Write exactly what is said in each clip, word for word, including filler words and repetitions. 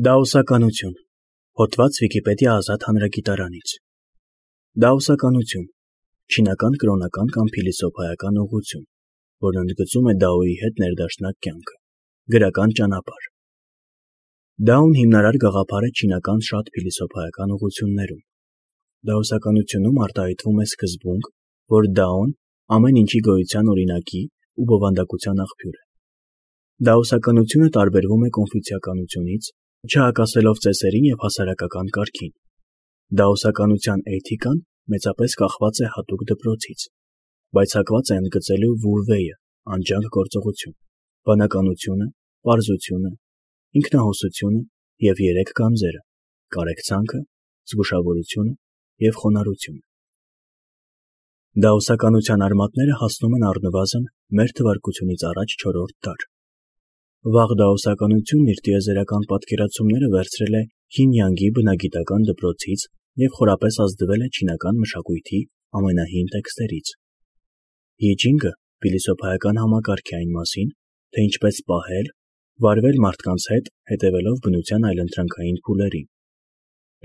Դաոսականություն։ Հոդված Վիկիպեդիա ազատ հանրագիտարանից։ Դաոսականություն չինական կրոնական կամ փիլիսոփայական ուղղություն, որն ընդգծում է Դաոյի հետ ներդաշնակ կյանքը։ Գրական ճանապարհ։ Դաոն հիմնարար գաղափար է չինական շատ փիլիսոփայական ուղղություններում։ Դաոսականությունում արտահայտվում է սկզբունք, որ Դաոն ամեն ինչի գոյության օրինակի ու բովանդակության աղբյուր է։ Դաոսականությունը տարբերվում է կոնֆուցիականությունից, չհակասելով ծեսերին և հասարակական կարգին։ Դաոսականության էթիկան մեծապես կախված է հատուկ դպրոցից, բայց հակված է ընդգծելու Վու Վեյը անջանք գործողություն, բանականությունը, պարզությունը, ինքնահոսությունը և երեք գանձերը՝ կարեկցանքը, զգուշավորությունը և խոնարհությունը։ Դաոսականության արմատները հասնում են առնվազն մեր թվարկությունից առաջ չորրորդ դար։ Վաղ դաոսականությունն իր տիեզերական պատկերացումները վերցրել է Յին-Յանգի բնագիտական դպրոցից և խորապես ազդվել է չինական մշակույթի ամենահին տեքստերից։ Յիջինգը փիլիսոփայական համակարգ է այն մասին, թե ինչպես պահել, վարվել մարդկանց հետ հետևելով բնության այլընտրանքային փուլերին։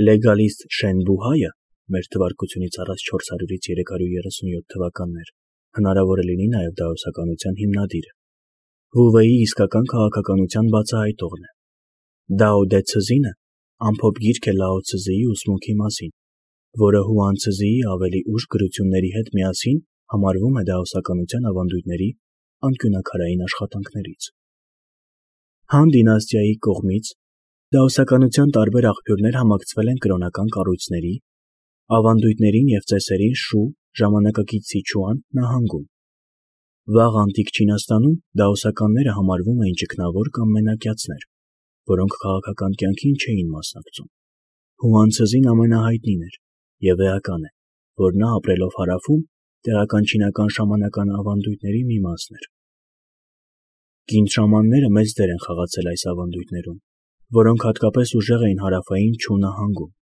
Լեգալիստ Շեն Բուհայը մեր թվարկությունից առաջ չորս հարյուրից երեք հարյուր երեսունյոթ թվականներ հնարավոր է լինի նաև դաոսականության հիմնադիրը։ Վու Վեյի իսկական քաղաքականության բացահայտողն է։ Դաո Դե Ցզինը ամփոփ գիրք է Լաո Ցզիի ուսմունքի մասին, որը Հուան Ցզիի ավելի ուշ գրությունների հետ միասին համարվում է դաոսականության ավանդույթների անկյունաքարային աշխատանքներից։ Han դինաստիայի կողմից դաոսականության տարբեր աղբյուրներ համակցվել են կրոնական կառույցների, ավանդույթներին և ծեսերին Շու ժամանակակից Սիչուան նահանգում։ Վաղ անտիկ Չինաստանում դաոսականները համարվում էին ճգնավոր կամ մենակյացներ, որոնք քաղաքական կյանքին չէին մասնակցում։ Հուան Ցզին ամենահայտնին էր, և էական է, որ նա ապրելով Հարավում տեղական չինական շամանական ավանդույթների մի մասն էր։ Կին շամանները մեծ դեր են խաղացել այս ավանդույթներում, որոնք հատկապես ուժեղ էին հարավային Չու նահանգում։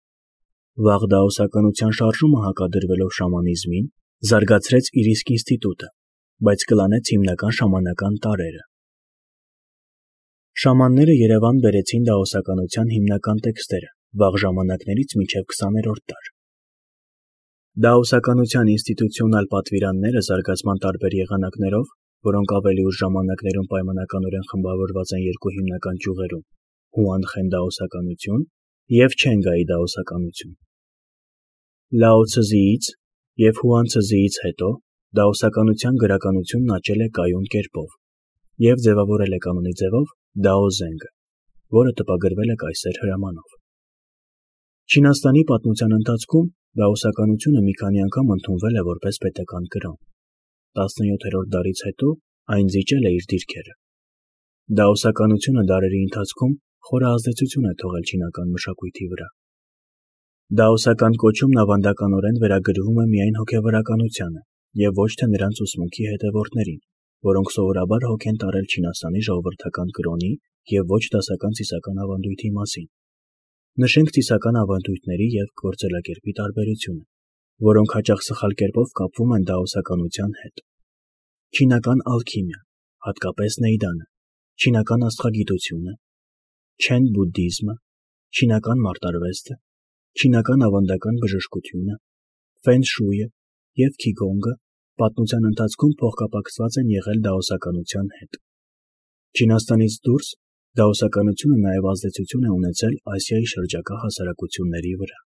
Վաղ դաոսականության շարժումը հակադրվելով շամանիզմին զարգացրեց իր իսկ ինստիտուտը, բայց կլանեց հիմնական շամանական տարրերը։ Շամանները Երևան բերեցին դաոսականության հիմնական տեքստերը վաղ ժամանակներից մինչև քսաներորդ դար։ Դաոսականության ինստիտուցիոնալ պատվիրանները զարգացման տարբեր եղանակներով, որոնք ավելի ուշ ժամանակներում պայմանականորեն խմբավորված են երկու հիմնական ճյուղերում՝ Հուանխեն դաոսականություն և Չենգայի դաոսականություն։ Լաո Ցզիից և Հուան Ցզիից հետո դաոսականության գրականությունն աճել է կայուն կերպով և ձևավորել է կանոնի ձևով Դաո Զենգը, որը տպագրվել է կայսեր հրամանով։ Չինաստանի պատմության ընթացքում դաոսականությունը մի քանի անգամ ընդունվել է որպես պետական կրոն։ տասնյոթերորդ դարից հետո այն զիջել է իր դիրքերը։ Դաոսականությունը դարերի ընթացքում խոր ազդեցություն է թողել չինական մշակույթի վրա։ Դաոսական կոչումն ավանդականորեն վերագրվում է միայն հոգևորականությանը և ոչ թե նրանց ուսմունքի հետևորդներին, որոնք սովորաբար հոգ են տարել Չինաստանի ժողովրդական կրոնի և ոչ դասական ծիսական ավանդույթի մասին։ Նշենք ծիսական ավանդույթների և գործելակերպի տարբերությունը, որոնք հաճախ սխալ կերպով կապվում են դաոսականության հետ։ Չինական ալքիմիան, հատկապես Նեյդանը, չինական աստղագիտությունը, Չեն բուդդիզմը, չինական մարտարվեստը, չինական ավանդական բժշկությունը, Ֆեն Շույը և Քիգոնգը պատմության ընթացքում փոխկապակցված են եղել դաոսականության հետ։ Չինաստանից դուրս դաոսականությունը նաև ազդեցություն է ունեցել Ասիայի շրջակա հասարակությունների վրա։